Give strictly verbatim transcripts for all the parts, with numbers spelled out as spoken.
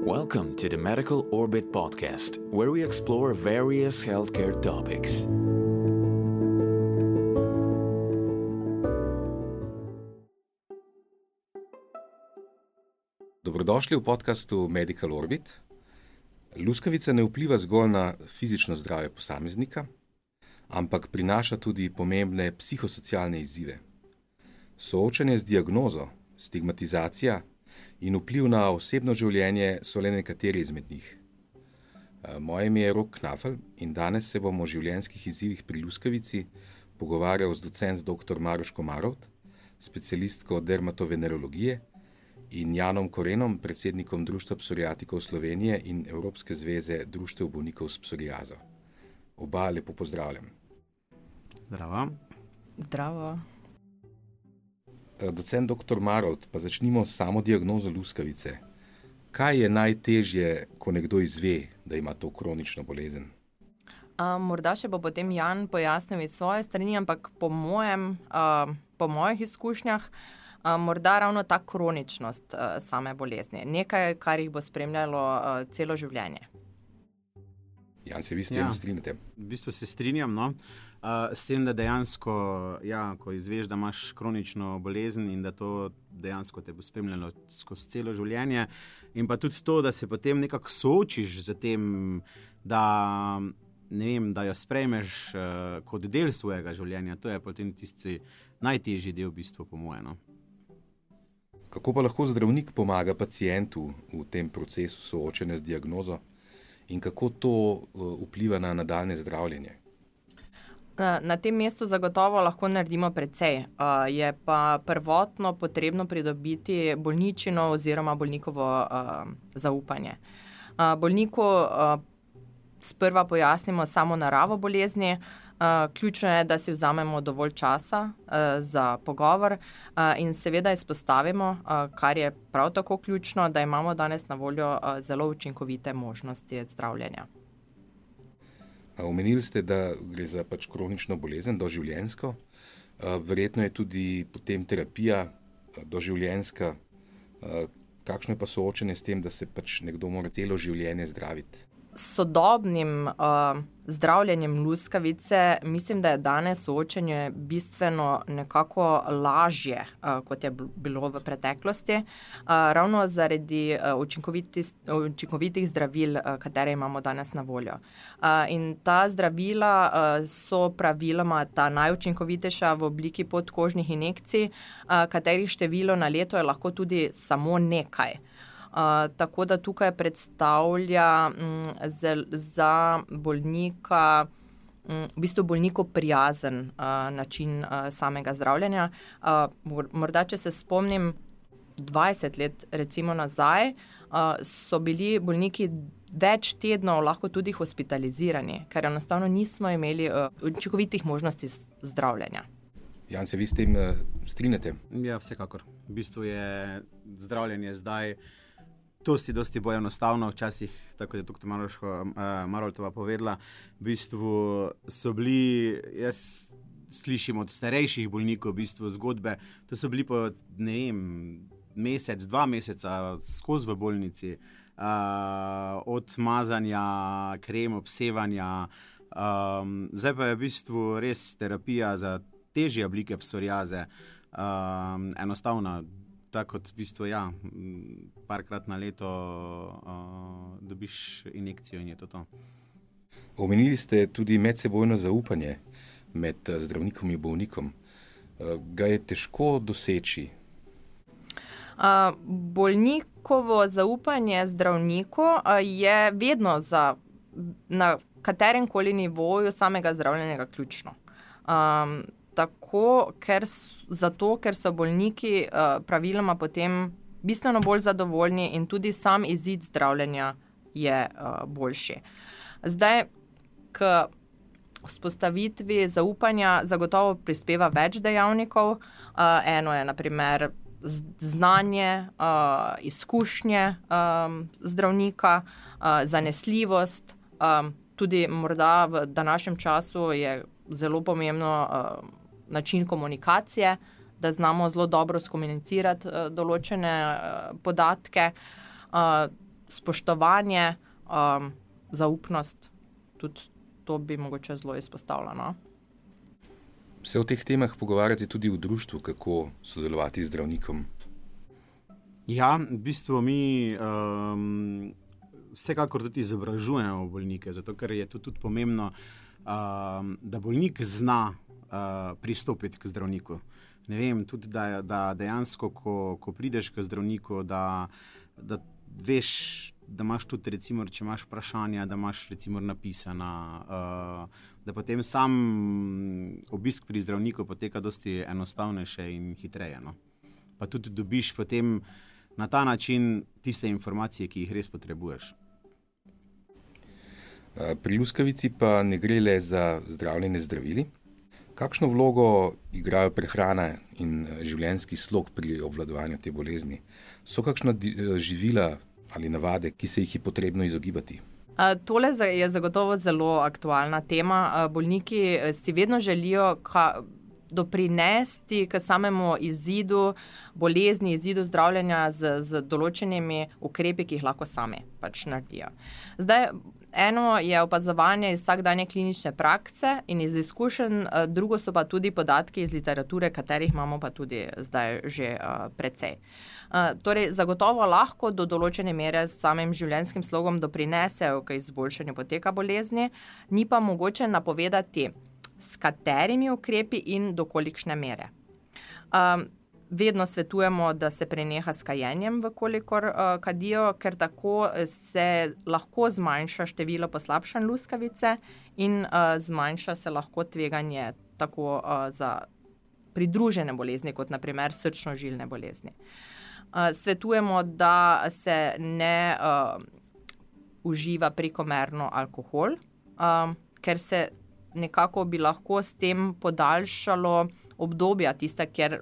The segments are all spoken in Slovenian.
Welcome to the Medical Orbit podcast, where we explore various healthcare topics. Dobrodošli v podcastu Medical Orbit. Luskavica ne vpliva zgolj na fizično zdravje posameznika, ampak prinaša tudi pomembne psihosocialne izzive. Soočanje z diagnozo, stigmatizacija in vpliv na osebno življenje so le nekateri izmed njih. Moje ime je Rok Knafel in danes se bomo o življenjskih izzivih pri luskavici pogovarjal z docent doktor Maroš Komarovt, specialistko dermatovenerologije, in Janom Korenom, predsednikom Društva psoriatikov Slovenije in Evropske zveze društev bolnikov s psoriazo. Oba lepo pozdravljam. Zdravo. Zdravo. Docent doktor Marovt, pa začnimo s samo diagnozo luskavice. Kaj je najtežje, ko nekdo izve, da ima to kronično bolezen? A, morda še bo potem Jan pojasnil iz svoje strani, ampak po mojem, a, po mojih izkušnjah, a, morda ravno ta kroničnost a, same bolezni. Nekaj, kar jih bo spremljalo a, celo življenje. Jan, se vi s tem Ja. strinjate? V bistvu se strinjam, no? Uh, s tem, da dejansko, ja, ko izveš, da imaš kronično bolezen in da to dejansko te bo spremljalo skozi celo življenje, in pa tudi to, da se potem nekako soočiš z tem, da, ne vem, da jo sprejmeš uh, kot del svojega življenja, to je potem tisti najtežji del v bistvu po moje, no? Kako pa lahko zdravnik pomaga pacientu v tem procesu soočanja z diagnozo in kako to uh, vpliva na nadaljnje zdravljenje? Na tem mestu zagotovo lahko naredimo precej. Je pa prvotno potrebno pridobiti bolničino oziroma bolnikovo zaupanje. Bolniku sprva pojasnimo samo naravo bolezni. Ključno je, da si vzamemo dovolj časa za pogovor in seveda izpostavimo, kar je prav tako ključno, da imamo danes na voljo zelo učinkovite možnosti zdravljenja. Omenili ste, da gre za pač kronično bolezen, doživljenjsko. Verjetno je tudi potem terapija doživljenjska. Kakšno je pa soočenje s tem, da se pač nekdo mora celo življenje zdraviti? S sodobnim uh, zdravljenjem luskavice mislim, da je danes soočenje bistveno nekako lažje, uh, kot je bilo v preteklosti, uh, ravno zaradi uh, učinkovitih, učinkovitih zdravil, uh, katere imamo danes na voljo. Uh, in ta zdravila uh, so praviloma ta najučinkovitejša v obliki podkožnih injekcij, uh, katerih število na leto je lahko tudi samo nekaj. Uh, tako da tukaj predstavlja um, zel, za bolnika um, v bistvu bolniku prijazen uh, način uh, samega zdravljenja. Uh, morda, če se spomnim dvajset let recimo nazaj, uh, so bili bolniki več tednov lahko tudi hospitalizirani, ker enostavno nismo imeli uh, učinkovitih možnosti zdravljenja. Jan, se vi s tem uh, strinjate? Ja, vsekakor. V bistvu je zdravljenje zdaj dosti, dosti bolj enostavno. Včasih, tako je doktor Maroško uh, Marovtova povedala, v bistvu so bili, jaz slišim od starejših bolnikov v bistvu zgodbe, to so bili po, ne vem, mesec, dva meseca skozi v bolnici, uh, od mazanja, krem, obsevanja. Um, zdaj pa je v bistvu res terapija za težje oblike psoriaze, um, enostavna. Tako kot v bistvu, ja, parkrat na leto uh, dobiš injekcijo in je to to. Omenili ste tudi medsebojno zaupanje med zdravnikom in bolnikom. Ga je težko doseči? Uh, bolnikovo zaupanje zdravniku uh, je vedno za, na katerem koli nivoju samega zdravljenja ključno. Um, Tako, ker, zato, ker so bolniki uh, praviloma potem bistveno bolj zadovoljni in tudi sam izid zdravljenja je uh, boljši. Zdaj, k vzpostavitvi zaupanja zagotovo prispeva več dejavnikov. Uh, eno je na primer znanje, uh, izkušnje um, zdravnika, uh, zanesljivost. Um, tudi morda v današnjem času je zelo pomembno uh, način komunikacije, da znamo zelo dobro skomunicirati uh, določene uh, podatke. Uh, spoštovanje, um, zaupnost, tudi to bi mogoče zelo izpostavljeno. Se o teh temah pogovarjate tudi v društvu, kako sodelovati z zdravnikom? Ja, v bistvu mi um, vsekakor tudi izobražujemo bolnike, zato ker je to tudi pomembno, um, da bolnik zna uh, pristopiti k zdravniku. Ne vem, tudi da, da dejansko, ko, ko prideš k zdravniku, da, da veš, da imaš tudi, recimo, če imaš vprašanja, da imaš recimo napisana, uh, da potem sam obisk pri zdravniku poteka dosti enostavnejše in hitreje. No? Pa tudi dobiš potem na ta način tiste informacije, ki jih res potrebuješ. Pri luskavici pa ne gre le za zdravljenje zdravili. Kakšno vlogo igrajo prehrana in življenjski slog pri obvladovanju te bolezni? So kakšna živila ali navade, ki se jih je potrebno izogibati? Tole je zagotovo zelo aktualna tema. Bolniki si vedno želijo ka, doprinesti k samemu izidu bolezni, izidu zdravljenja z, z določenimi ukrepi, ki jih lahko sami pač naredijo. Zdaj, eno je opazovanje iz vsakdanje klinične prakse in iz izkušenj, drugo so pa tudi podatki iz literature, katerih imamo pa tudi zdaj že uh, precej. Uh, torej, zagotovo lahko do določene mere s samim življenjskim slogom doprinesejo k izboljšanju poteka bolezni, ni pa mogoče napovedati, s katerimi ukrepi in do kolikšne mere. Um, vedno svetujemo, da se preneha s kajenjem, vkolikor uh, kadijo, ker tako se lahko zmanjša število poslabšanj luskavice in uh, zmanjša se lahko tveganje tako uh, za pridružene bolezni, kot naprimer srčno-žilne bolezni. Uh, svetujemo, da se ne uh, uživa prekomerno alkohol, uh, ker se nekako bi lahko s tem podaljšalo obdobja tista, kjer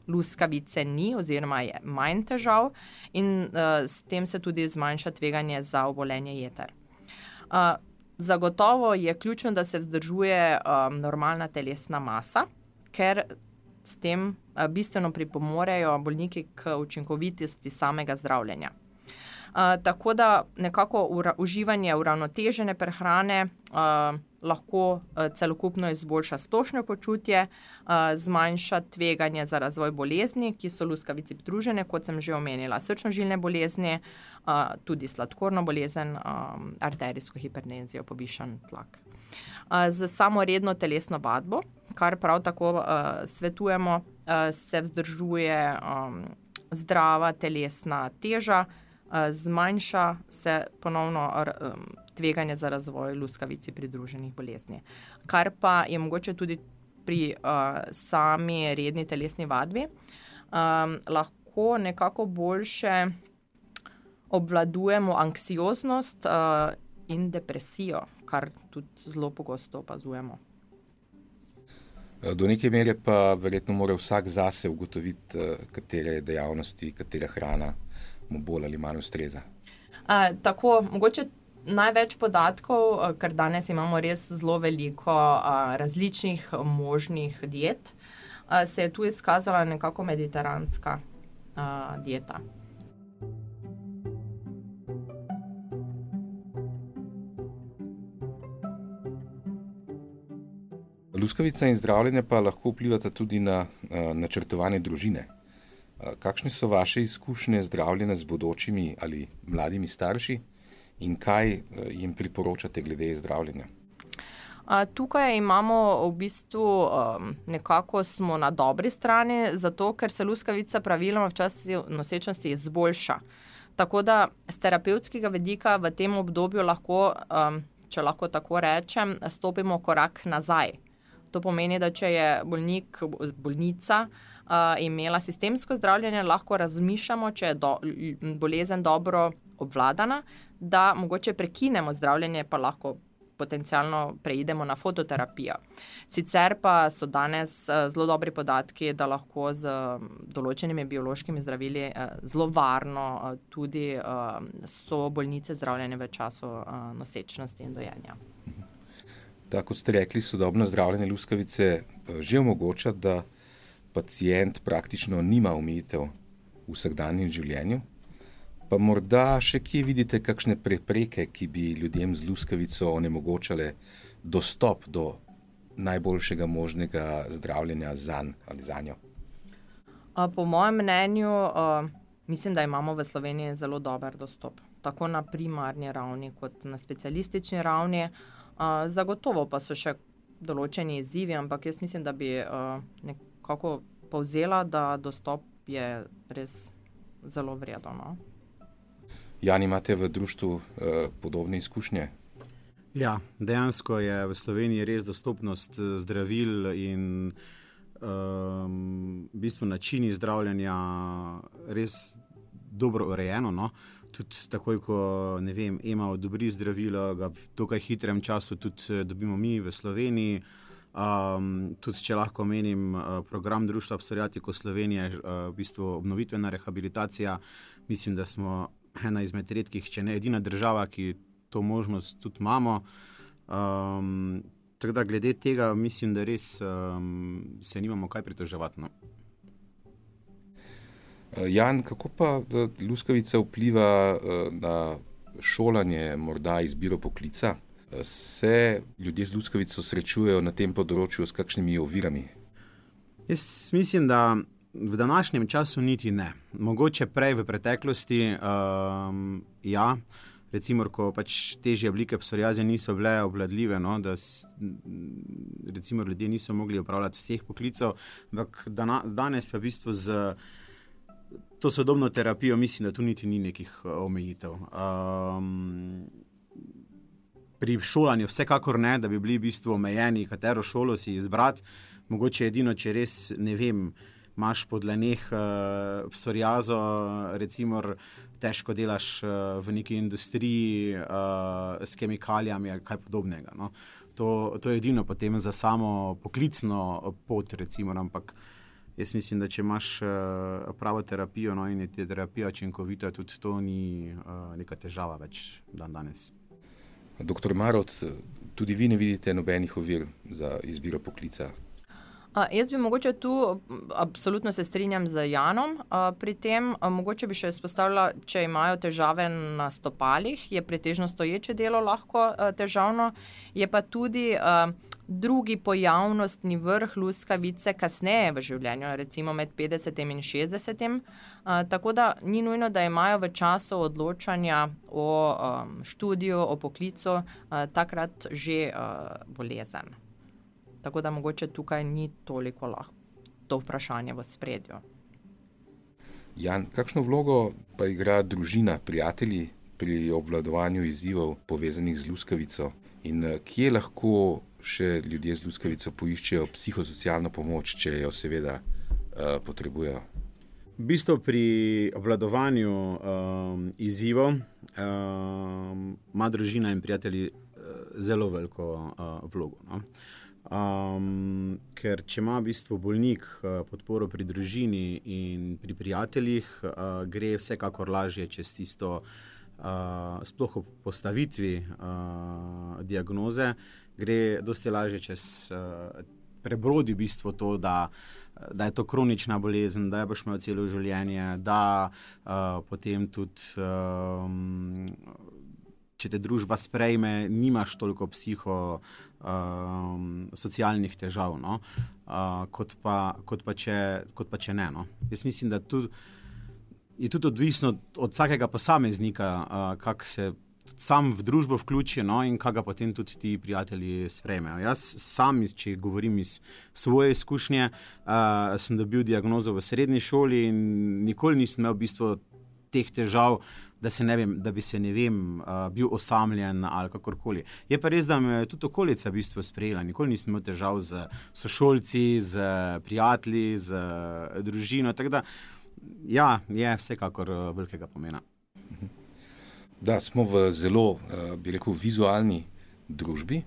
luskavice ni oziroma je manj težav in uh, s tem se tudi zmanjša tveganje za obolenje jeter. Uh, zagotovo je ključno, da se vzdržuje um, normalna telesna masa, ker s tem uh, bistveno pripomorejo bolniki k učinkovitosti samega zdravljenja. Uh, tako da nekako ura, uživanje uravnotežene prehrane uh, lahko uh, celokupno izboljša splošno počutje, uh, zmanjša tveganje za razvoj bolezni, ki so luskavici pridružene, kot sem že omenila, srčno-žilne bolezni, uh, tudi sladkorno bolezen, um, arterijsko hipertenzijo, povišan tlak. Uh, z samo redno telesno vadbo, kar prav tako uh, svetujemo, uh, se vzdržuje um, zdrava telesna teža, zmanjša se ponovno tveganje za razvoj luskavici pridruženih bolezni. Kar pa je mogoče tudi pri uh, sami redni telesni vadbi, um, lahko nekako boljše obvladujemo anksioznost uh, in depresijo, kar tudi zelo pogosto opazujemo. Do neke mere pa verjetno mora vsak zase ugotoviti, katere dejavnosti, katera hrana mu bolj ali manj ustreza. Uh, tako, mogoče največ podatkov, ker danes imamo res zelo veliko uh, različnih možnih diet, uh, se je tu izkazala nekako mediteranska uh, dieta. Luskavica in zdravljenje pa lahko vplivata tudi na uh, načrtovanje družine. Kakšne so vaše izkušnje zdravljenja z bodočimi ali mladimi starši in kaj jim priporočate glede zdravljenja? Tukaj imamo v bistvu nekako smo na dobri strani, zato ker se luskavica praviloma v času nosečnosti izboljša. Tako da z terapevtskega vidika v tem obdobju lahko, če lahko tako rečem, stopimo korak nazaj. To pomeni, da če je bolnik, bolnica uh, imela sistemsko zdravljenje, lahko razmišljamo, če je do, bolezen dobro obvladana, da mogoče prekinemo zdravljenje, pa lahko potencialno preidemo na fototerapijo. Sicer pa so danes uh, zelo dobri podatki, da lahko z uh, določenimi biološkimi zdravili uh, zelo varno uh, tudi uh, so bolnice zdravljene v času uh, nosečnosti in dojenja. Da, kot ste rekli, sodobno zdravljenje luskavice že omogoča, da pacient praktično nima omejitev v vsakdanjem življenju. Pa morda še kje vidite kakšne prepreke, ki bi ljudem z luskavico onemogočale dostop do najboljšega možnega zdravljenja zanj ali zanjo? Po mojem mnenju, mislim, da imamo v Sloveniji zelo dober dostop, tako na primarni ravni kot na specialistični ravni. Zagotovo pa so še določeni izzivi, ampak jaz mislim, da bi nekako povzela, da dostop je res zelo vreden. No? Jan, imate v društvu eh, podobne izkušnje? Ja, dejansko je v Sloveniji res dostopnost zdravil in um, v bistvu načini zdravljenja res dobro urejeno. No? Tudi takoj, ko ne vem, Ema odobri zdravilo, ga v dokaj hitrem času tudi dobimo mi v Sloveniji. Um, tudi, če lahko menim, program Društva Psoriatikov Slovenije, uh, v bistvu obnovitvena rehabilitacija, mislim, da smo ena izmed redkih, če ne edina država, ki to možnost tudi imamo. Um, tako da glede tega mislim, da res um, se nimamo kaj pritoževati. No. Jan, kako pa luskavica vpliva na šolanje, morda izbiro poklica? Se ljudje z luskavico srečujejo na tem področju s kakšnimi ovirami? Jaz mislim, da v današnjem času niti ne. Mogoče prej v preteklosti, um, ja, recimo, ko pač težje oblike psoriaze niso bile obvladljive, no, da s, recimo ljudje niso mogli opravljati vseh poklicov, ampak dana, danes pa v bistvu z to sodobno terapijo mislim, da tu niti ni nekih omejitev. Um, pri šolanju vsekakor ne, da bi bili v bistvu omejeni, katero šolo si izbrati, mogoče edino, če res, ne vem, imaš po dlaneh uh, psoriazo, recimo težko delaš uh, v neki industriji uh, s kemikalijami ali kaj podobnega. No. To, to je edino potem za samo poklicno pot, recimo, ampak jaz mislim, da če imaš uh, pravo terapijo, no, in je terapija učinkovita, tudi to ni uh, neka težava več dan danes. Doktor Marolt, tudi vi ne vidite nobenih ovir za izbiro poklica? A, jaz bi mogoče tu, absolutno se strinjam z Janom, a, pri tem a, mogoče bi še izpostavila, če imajo težave na stopalih, je pretežno stoječe delo lahko a, težavno, je pa tudi a, drugi pojavnostni vrh luskavice kasneje v življenju, recimo med petdesetim in šestdesetim, a, tako da ni nujno, da imajo v času odločanja o a, študiju, o poklicu, a, takrat že a, bolezen. Tako da mogoče tukaj ni toliko lahko to vprašanje v spredju. Jan, kakšno vlogo pa igra družina, prijatelji pri obvladovanju izzivov povezanih z luskavico in kje lahko še ljudje z luskavico poiščejo psihosocialno pomoč, če jo seveda uh, potrebujejo? V bistvu pri obvladovanju um, izzivov um, ima družina in prijatelji uh, zelo veliko uh, vlogo. No? Um, ker če ima v bistvu bolnik uh, podporo pri družini in pri prijateljih, uh, gre vsekakor lažje čez tisto uh, sploh o postavitvi uh, diagnoze, gre dosti lažje čez uh, prebrodi v bistvu to, da, da je to kronična bolezen, da je boš imel celo življenje, da uh, potem tudi um, če te družba sprejme, nimaš toliko psiho um, socialnih težav, no? uh, kot, pa, kot, pa če, kot pa če ne. No? Jaz mislim, da tudi, je tudi odvisno od vsakega posameznika, uh, kako se sam v družbo vključi, no? In kaj ga potem tudi ti prijatelji sprejmejo. Jaz sam, če govorim iz svoje izkušnje, uh, sem dobil diagnozo v srednji šoli in nikoli nisem imel v bistvu teh težav, da, se ne vem, da bi se ne vem, uh, bil osamljen ali kakorkoli. Je pa res, da me je tudi okolica v bistvu sprejela. Nikoli nisem imel težav z sošolci, z prijatelji, z družino. Tako da, ja, je vsekakor velikega pomena. Da, smo v zelo, bi rekel, vizualni družbi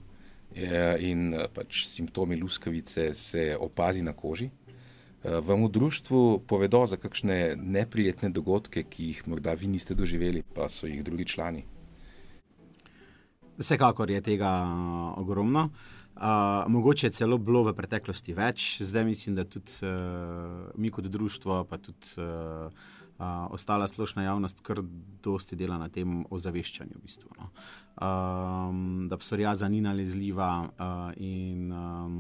in pač simptomi luskavice se opazi na koži. Vam v društvu povedo za kakšne neprijetne dogodke, ki jih morda vi niste doživeli, pa so jih drugi člani? Vsekakor je tega ogromno. Uh, mogoče je celo bilo v preteklosti več. Zdaj mislim, da tudi uh, mi kot društvo, pa tudi uh, Uh, ostala splošna javnost kar dosti dela na tem ozaveščanju, v bistvu, no. um, da psoriaza ni nalezljiva uh, in um,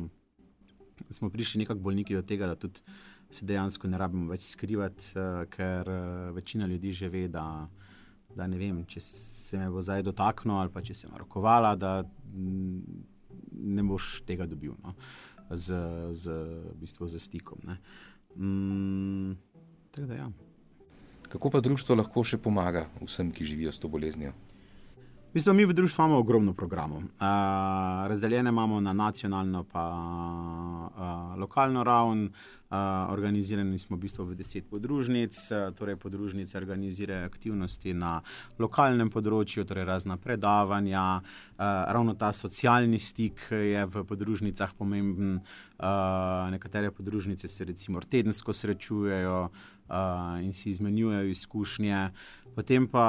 smo prišli nekako bolniki do tega, da tudi se dejansko ne rabimo več skrivati, uh, ker uh, večina ljudi že ve, da, da ne vem, če se me bo zdaj dotaknil ali pa če se me rokovala, da m, ne boš tega dobil, no, z, z, v bistvu, z stikom. Ne. Mm, tako da ja. Kako pa društvo lahko še pomaga vsem, ki živijo s to boleznijo? V bistvu, mi v društvu imamo ogromno programov. Uh, razdeljene imamo na nacionalno pa uh, lokalno raven. Uh, organizirani smo v bistvu v deset podružnic, uh, torej podružnice organizirajo aktivnosti na lokalnem področju, torej razna predavanja. Uh, ravno ta socialni stik je v podružnicah pomemben. Uh, nekatere podružnice se recimo tedensko srečujejo uh, in si izmenjujejo izkušnje. Potem pa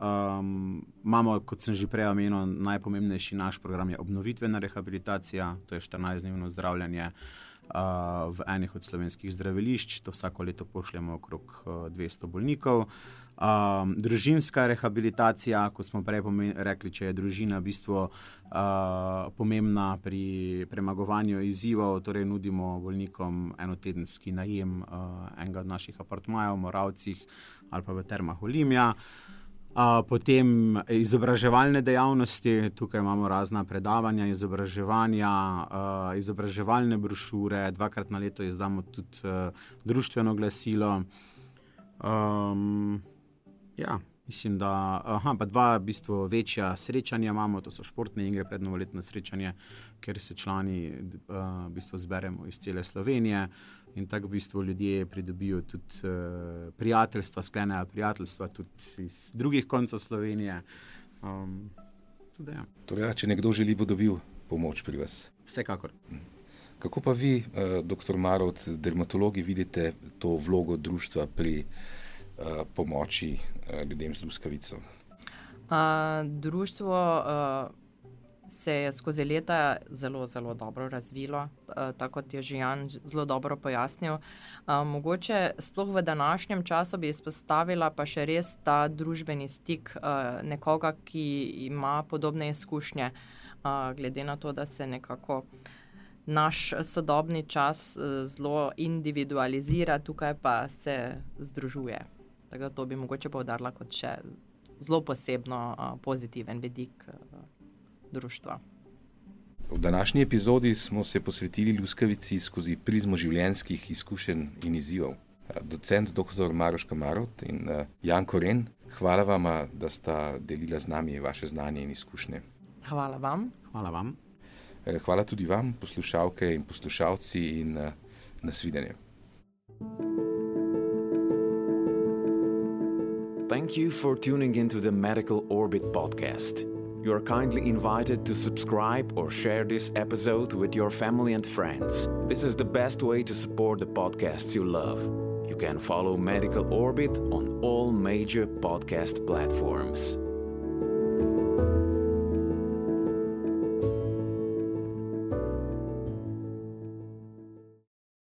um, imamo, kot sem že prej omenil, najpomembnejši naš program je obnovitvena rehabilitacija, to je štirinajstdnevno zdravljenje uh, v enih od slovenskih zdravilišč, to vsako leto pošljemo okrog uh, dvesto bolnikov. Um, družinska rehabilitacija, kot smo prej rekli, če je družina v bistvu uh, pomembna pri premagovanju izzivov, torej nudimo bolnikom enotedenski najem uh, enega od naših apartmajev v Moravcih ali pa v Termah Olimja. Uh, potem izobraževalne dejavnosti, tukaj imamo razna predavanja, izobraževanja, uh, izobraževalne brošure, dvakrat na leto izdamo tudi uh, društveno glasilo. Um, Ja, mislim, da aha, pa dva v bistvu večja srečanja imamo, to so športne igre, prednovoletno srečanje, kjer se člani uh, v bistvu zberemo iz cele Slovenije in tako v bistvu ljudje pridobijo tudi uh, prijateljstva, sklenejo prijateljstva tudi iz drugih koncev Slovenije. Um, tudi, ja. Torej, če nekdo želi, bo dobil pomoč pri vas? Vsekakor. Kako pa vi, uh, doktor Marovt, dermatologi, vidite to vlogo društva pri pomoči ljudem z luskavico? Uh, društvo uh, se je skozi leta zelo, zelo dobro razvilo, uh, tako kot je že Jan zelo dobro pojasnil. Uh, mogoče sploh v današnjem času bi izpostavila pa še res ta družbeni stik uh, nekoga, ki ima podobne izkušnje, uh, glede na to, da se nekako naš sodobni čas uh, zelo individualizira, tukaj pa se združuje. Tako da to bi mogoče poudarila kot še zelo posebno uh, pozitiven vidik uh, društva. V današnji epizodi smo se posvetili luskavici skozi prizmo življenjskih izkušenj in izzivov. Docent doktor Maroška Marovt in uh, Jan Koren, hvala vama, da sta delila z nami vaše znanje in izkušnje. Hvala vam. Hvala vam. Hvala tudi vam, poslušalke in poslušalci, in uh, nasvidenje. Thank you for tuning into the Medical Orbit podcast. You are kindly invited to subscribe or share this episode with your family and friends. This is the best way to support the podcasts you love. You can follow Medical Orbit on all major podcast platforms.